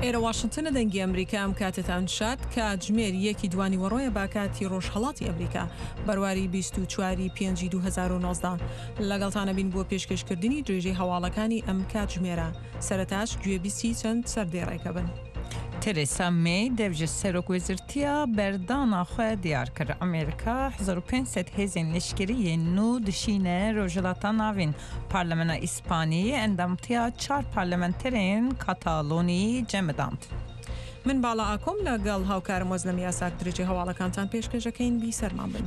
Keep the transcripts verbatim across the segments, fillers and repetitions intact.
ئێرە واشنتنە، دەنگی ئەمریکا. ئەم کاتتان شاد. کاتژمێر یەکی دوانیوەڕۆیە با کاتی ڕۆژهەڵاتی ئەمریکا، بەرواری بیست و چوار پێنجی دوو هەزار و نۆزدە. لەگەڵتانە بین بۆ پێشکەشکردنی درێژەی هەواڵەکانی ئەم کاتژمێرە. سەرەتاش گوێبیستی چەند سەردێڕێکە بن. Theresa May dev ji serokwezîrtiya berdana xwe diyar kir. Amerîka hezar û pênc sed hêzên leşkerî yên nû dişîne Rojhilata Navîn. Parlamena Îspanî endamtiya çar parlamenterên Katalonî cemidand. من باڵا ئاکۆم لەگەڵ هاوکارم وەزلەم یاساک درێژەی هەواڵەکانتان پێشکەشەکەین. بیسەرمان بن.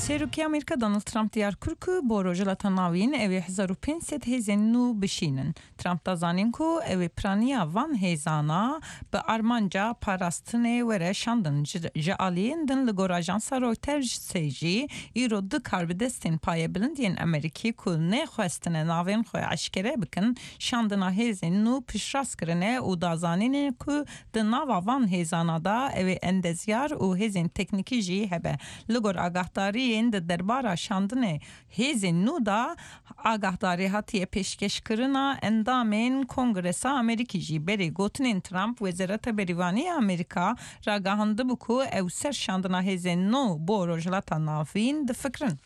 Serokê Amerîka Donald Trump diyar kir ku bo Rojhilata Navîn ew ê hezar û pênc sed hêzên nû bişînin. Trump da zanîn ku ew ê piraniya van hêzana bi armanca parastinê were şandin. Ji aliyên din li gor ajansa Reutersê jî îro du karbidestên payebilind yên Amerîkî ku nexwestine navên xwe eşkere bikin, şandina hêzên nû piştrast kirine û da zanînê ku di nava van hêzana da ew ê endezyar û hêzên teknîkî jî hebe. Li gor agahdariyên di derbara şandinê hêzên nû da agahdarî hatiye pêşkêşkirina endamên Kongresa Amerîkî jî. Berê gotinên Trump, Wezareta Berîvanî Amerîka ragihandibû ku ew ser şandina hêzên nû bo Rojhilata Navîn difikirin.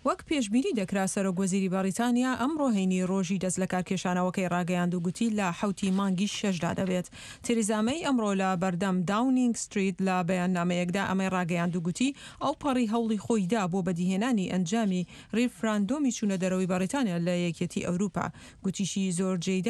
وەک پێشبینی دەکرا، سەرۆک وەزیری بەریتانیا ئەمڕۆ هەینی ڕۆژی دەست لە کارکێشانەوەکەی ڕاگەیاند و گوتی لە حوتی مانگی شەشدا دەبێت. تێریزا مەی ئەمڕۆ لە بەردەم داونینگ ستریت لە بەیاننامەیەکدا ئەمەی ڕاگەیاند و گوتی ئەو پەڕی هەوڵی خۆیدا بۆ بەدیهێنانی ئەنجامی ڕیفراندۆمی چوونە دەرەوەی بەریتانیا لە یەکێتی ئەوروپا. گوتیشی زۆر جێی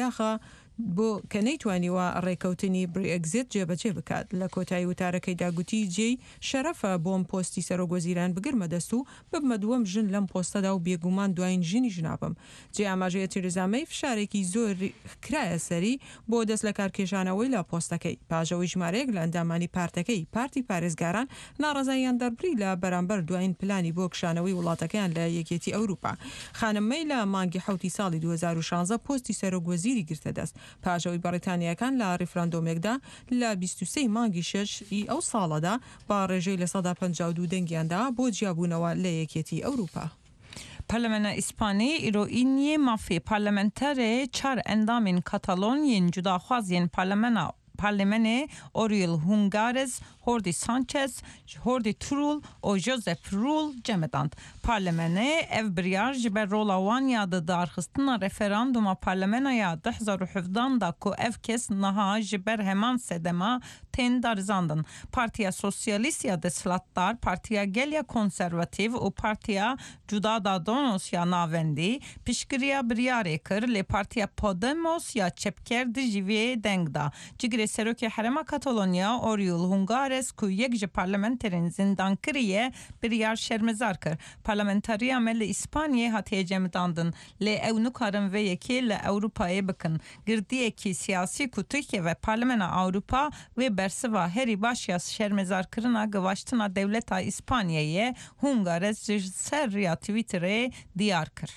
بۆ کە نەیتوانیوە ڕێکەوتنی برێگزیت جێبەجێ بکات. لە کۆتایی وتارەکەیدا گوتی جێی شەرەفە بۆم پۆستی سەرۆک وەزیران بگرمە دەست و ببمە دووەم ژن لەم پۆستەدا و بێگومان دوایین ژنیش نابم. جێ ئاماژەیە تێریزا مەی فشارێکی زۆر کرایە سەری بۆ دەست لە کارکێشانەوەی لە پۆستەکەی، پاش ئەوەی ژمارەیەک لە ئەندامانی پارتەکەی، پارتی پارێزگاران، ناڕەزاییان دەربڕی لە بەرامبەر دوایین پلانی بۆ کشانەوەی وڵاتەکەیان لە یەکێتی ئەوروپا. خانم مەی لە مانگی حوتی ساڵی دوو هەزار و شازدە پۆستی سەرۆک وەزیری گرتە دەست، پاش ئەوەی بەریتانیەکان لە ڕیفراندۆمێکدا لە بیست و سێ مانگی شەش ی ئەو ساڵەدا بە ڕێژەی لە سەدا پەنجا و دوو دەنگیاندا بۆ جیابوونەوە لە یەکێتی ئەوروپا. Parlamena Îspanî îro îniyê mafê parlamenterê çar endamên Katalon yên cudaxwaz yên parlamena parlamenê Oriol Junqueras, Jordi Sanchez, Jordi Turull û Josep Rull cemidand. Parlamenê ev biryar ji ber rola wan ya di darxistina referanduma parlamenoya du hezar û hevdan da ku ev kes niha ji ber heman sedema tên darizandin. Partiya Sosyalîst ya desthilatdar, Partiya Gel ya Konservatîv û Partiya Ciudadanos ya navendî piştgiriya biryarê kir, lê Partiya Podemos ya çepker dijî vê deng da. Cigirê Serokê Herêma Katalonya Oriol Junqueras ku yek ji parlamenterên zindankiriye biryar şermezar kir. Parlamenteriya me li İspanyayê hatiye cemidandin, lê ew nikarin vê yekê li Ewropayê bikin. Girtiyekî siyasî ku Tirkiye ve Parlamena Ewropa wê bersiva herî baş ya şermezarkirina givaştina dewleta İspanyayê, Junqueras ji ser riya Twitterê diyar kir.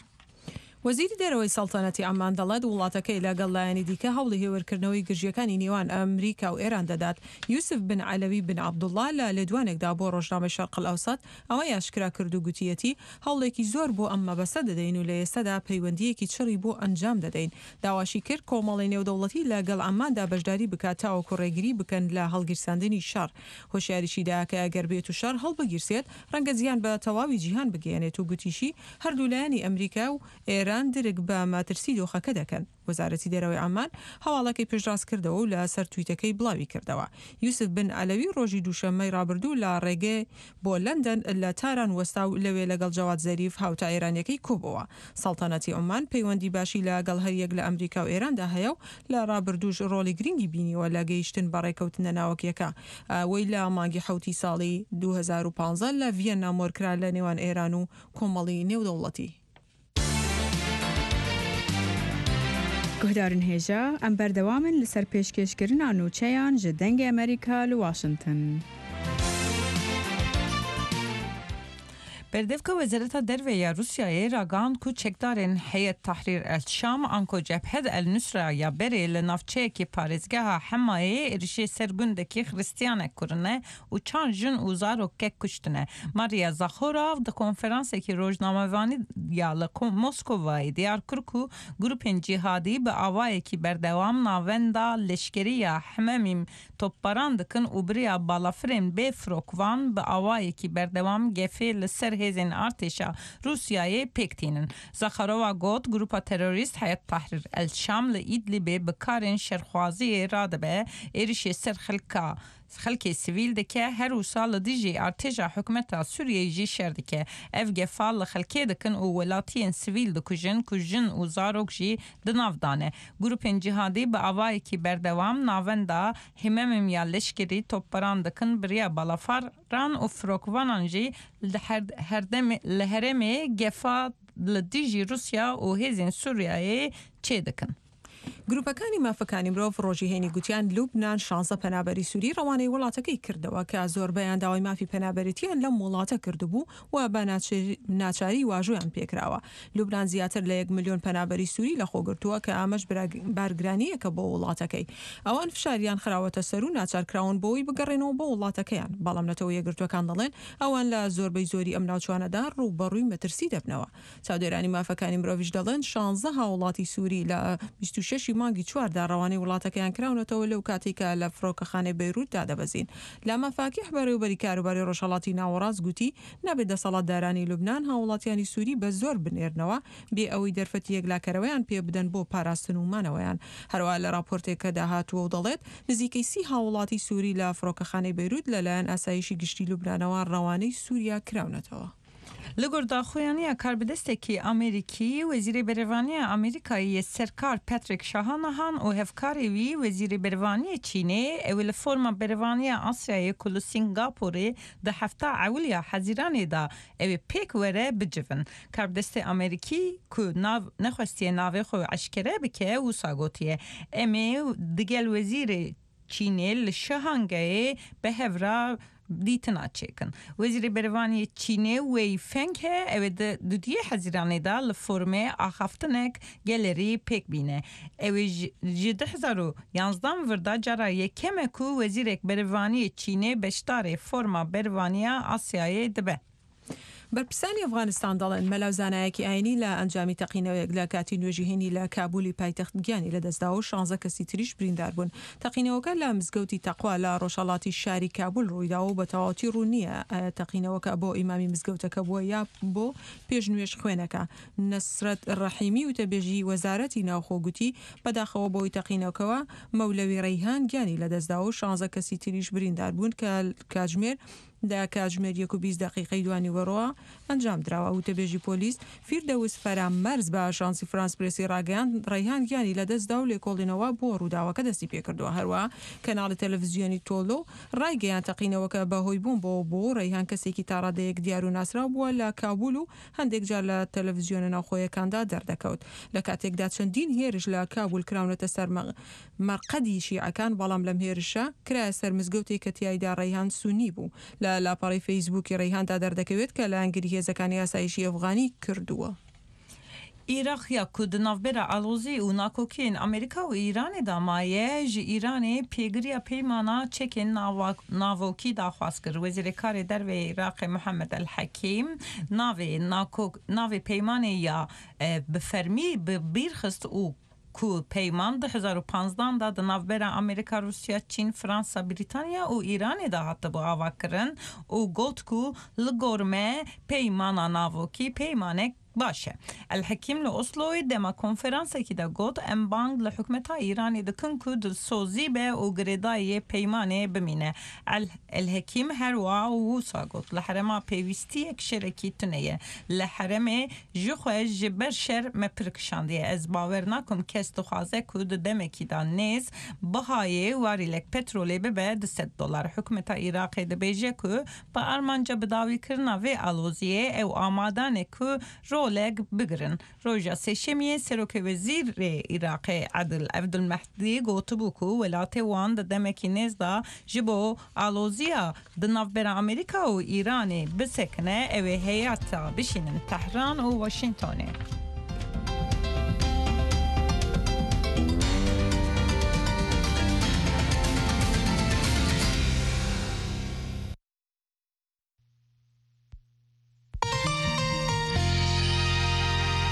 وەزیری دەرەوەی سەڵتەنەتی عەمان دەڵێت وڵاتەکەی لەگەڵ لایەنی دیکە هەوڵی هێورکردنەوەی گرژیەکانی نێوان ئەمریکا و ئێران دەدات. یوسف بن عەلەوی بن عەبدوڵڵا لە لێدوانێکدا بۆ ڕۆژنامەی شەرق ئەوسەت ئەوەی ئاشکرا کرد و گوتیەتی هەوڵێکی زۆر بۆ ئەم مەبەستە دەدەین و لە ئێستادا پەیوەندیەکی چڕی بۆ ئەنجام دەدەین. داواشی کرد کۆمەڵی نێودەوڵەتی لەگەڵ عەماندا بەشداری بکات تاوەکو ڕێگری بکەن لە هەڵگیرساندنی شەڕ. هۆشیاریشیدا کە ئەگەر بێت و شەڕ هەڵبگیرسێت ڕەنگە زیان بە تەواوی جیهان بگەیەنێت و گوتیشی هەردوو لایەنی ئەمریکا و ئێران درک بە مەترسی دۆخەکە دەکەن. وەزارەتی دەرەوەی عەمان هەواڵەکەی پشتڕاست کردەوە و لەسەر تویتەکەی بڵاوی کردەوە. یوسف بن عەلەوی ڕۆژی دووشەممەی ڕابردوو لە ڕێگەی بۆ لەندەن لە تاران وەستا و لەوێ لەگەڵ جەواد زەریف هاوتا ئێرانیەکەی کۆبەوە. سەڵتەنەتی عومان پەیوەندی باشی لەگەڵ هەریەک لە ئەمریکا و ئێراندا هەیە و لە ڕابردووش ڕۆڵی گرنگی بینیوە لە گەیشتن بە ڕێکەوتنە ناوەکیەکە ئەوەی لە مانگی حوتی ساڵی دوو هەزار و پازدە لە ڤیەننا مۆرکرا لە نێوان ئێران و کۆمەڵی نێودەوڵەتی. Guhdarên hêja, em berdewamin li ser pêşkêşkirina nûçeyan ji Dengê Amerîka li Washington. Berdevka Wezareta Derve ya Rûsyayê ragihand ku çekdarên Heyet Tahrîr El Şam anko Cebhet El Nusra ya berê li navçeyekê parêzgeha Hemayê êrişê ser gundekî Xristiyanek kirine û çar jin û zarokek kuştine. Maria Zakharova di konferansekî rojnamevanî ya li Moskovayê diyar kir ku grûpên cîhadî bi awayekî berdewam navenda leşkerî ya Hememîm topbaran dikin û biriya balafirên bê firokvan bi awayekî berdewam gefê li ser hêzên artêşa Rûsyayê pêk tînin. Zakharova got grûpa terorîst Heyet Tahrîr El Şam li Idlibê bi karên şerxwaziyê radibe êrişê ser xelka xelkê sivîl dike her wisa li dijî artêşa hikûmeta Sûriyeyê jî şer dike. Ev gefa li xelkê dikin û welatiyên sivîl dikujin ku jin û zarok jî di nav de ne. Grûpên cîhadî bi awayekî berdewam navenda Hememîm ya leşkerî topbaran dikin biriya balafiran û firokvanan jî li li herêmê gefa li dijî Rûsya û hêzên Sûriyeyê çêdikin. گروپەکانی مافەکانی مرۆڤ ڕۆژی هەینی گوتیان لوبناان شانزە پەنابەری سووری ڕەوانەی وڵاتەکەی کردەوە کە زۆربەیان داوای مافی پەنابەرێتیان لەم وڵاتە کردبوو و بە ناچاری واژۆیان پێکراوە. لوبناان زیاتر لە یەک ملیۆن پەنابەری سووری لەخۆگرتووە کە ئەمەش بارگرانیەکە بۆ وڵاتەکەی. ئەوان فشاریان خراوەتە سەر و ناچارکراون بۆی بگەڕێنەوە بۆ وڵاتەکەیان، بەڵام نەتەوە یەکگرتووەکان دەڵێن ئەوان لە زۆربەی زۆری ئەم ناوچوانەدا ڕووبەڕووی مەترسی دەبنەوە. چاودێرانی مافەکانی مرۆڤیش دەڵێن شانزە هاوڵاتی سووری لە بیست و شەش مانگی چواردا ڕەوانەی وڵاتەکەیان کراونەتەوە لەو کاتێک کە لە فڕۆکەخانەی بەیروتدا دەبەزین. لاما فاکیح بەڕێوەبەری کاروباری ڕۆژهەڵاتی ناوەڕاست گوتی نابێت دەسەڵاتدارانی لوبناان هاوڵاتیانی سووری بە زۆر بنێرنەوە بێ ئەوەی دەرفەتی یەکلاکەرەوەیان پێ بدەن بۆ پاراستن و مانەوەیان. هەروەها لە راپۆرتێکەدا هاتووە و دەڵێت نزیکەی سی هاوڵاتی سووری لە فڕۆکەخانەی بەیروت لەلایەن ئاسایشی گشتی لوبنانەوە ڕەوانەی سووریا کراونەتەوە. Li gor daxuyaniya karbidestekî Amerîkî Wezîrê Berevaniya Amerîkayê Serkar Patrick Shanahan û hevkarê wî Wezîrê Berevaniyê Çînê ew li forma Berevaniya Asyayê ku li Singapûrê di hefta ewil ya Hezîranê de ew ê pêk were bicivin. Karbidestê Amerîkî ku nav nexwestiye navê xwe eşkere bike wisa gotiye em ê digel Wezîrê Çînê li Şangayê bi hev re dîtina çêkin. Wezîrê Berevaniyê Çînê Wei Fenghe ew ê di duyê Hezîranê de li formê axaftinek gelerî pêk bîne. Ew ê ji du hezar û yanzdan vir de cara yekem e ku Wezîrek Berevaniyê Çînê beşdarê forma Berevaniya Asyayê dibe. بەرپرسانی ئەفغانستان دەڵێن مەلا زانایەکی ئاینی لە ئەنجامی تەقینەوەیەک لە کاتی نوێژی هێنی لە کابولی پایتەخت گیانی لەدەستدا و شانزە کەسی تریش بریندار بوون. تەقینەوەکە لە مزگەوتی تەقوا لە ڕۆژهەڵاتی شاری کابول ڕوویداوە و بە تەواوەتی ڕوون نییە ئایا تەقینەوەکە بۆ ئیمامی مزگەوتەکە بووە یا بۆ پێشنوێژ خوێنەکە. نەسرەت ڕەحیمی وتەبێژی وەزارەتی ناوخۆ گوتی بەداخەوە بۆی تەقینەوەکەوە مەولەوی ڕەیهان گیانی لەدەستدا و شانزە کەسی تریش بریندار بوون کە کاتژمێر لە کاتژمێر یەک و بیست دقیقەی دوانیوەڕۆوە ئەنجام دراوە. وتەبێژی پۆلیس فیردەوس فەرامەرز بە ئاژانسی فرانس پرێسی ڕاگەیاند ڕەیهان گیانی لەدەستدا و لێکۆڵینەوە بۆ ڕووداوەکە دەستی پێکردووە. هەروەها کەناڵی تەلەڤیزیۆنی تۆلۆ ڕایگەیاند تەقینەوەکە بەهۆی بوون بۆ بۆ ڕەیهان کەسێکی تاڕادەیەک دیار و ناسراو بووە لە کابول و هەندێک جار لە تەلەڤیزیۆنە ناوخۆیەکاندا دەردەکەوت. لە کاتێکدا چەندین هێرش لە کابول کراونەتە سەر مەرقەدی شیعەکان، بەڵام لەم هێرشە کرایە سەر مزگەوتێک کە تیایدا ڕەیهان سونی بوو. لە لاپەڕەی فەیسبووکی ڕەیهاندا دەردەکەوێت کە لایەنگری هێزەکانی ئاسایشی ئەفغانی کردووە. عێراق ya ku di navbera alozî û nakokiyên Amerîka û Îranê de maye ji Îranê pêgiriya peymana çekên navokî daxwaz kir. Wezîrê Karê Derve Iraqê Muhammed El Hekîm navê navê peymanê ya bi fermî bi bîr xist û ku peyman du hezar û panzdan de di navbera Amerîka, Rûsya, Çîn, Fransa, Brîtanya û Îranê de hatibû avakirin û got ku li gor me peymana navokî peymanek baş e. El Hekîm li Osloyê dema konferansekî de got em bang li hikûmeta Îranê dikin ku dilsozî be û girêdayê peymanê bimîne. El, El Hekîm her wiha wisa got li herêma pêwîstiyek şerekî tune ye. Li herêmê ji xwe ji ber şer me pir kişandiye. Ez bawer nakim kes dixwaze ku di demekî de nêz bihayê warîlek petrolê bibe du sed dolar. Hikûmeta Iraqê dibêje ku bi armanca bidawîkirina vê aloziyê ew amade ne ku پترۆلێک بگرن. ڕۆژە سێشەمیە سەرۆکە وەزیرê Iraqê Adil Evdilmehdî gotibû ku welatê wan di demekî nêz da ji bo aloziya di navbera Amerîka û Îranê bisekine ew ê heyeta bişînin Tehran û Washingtonê.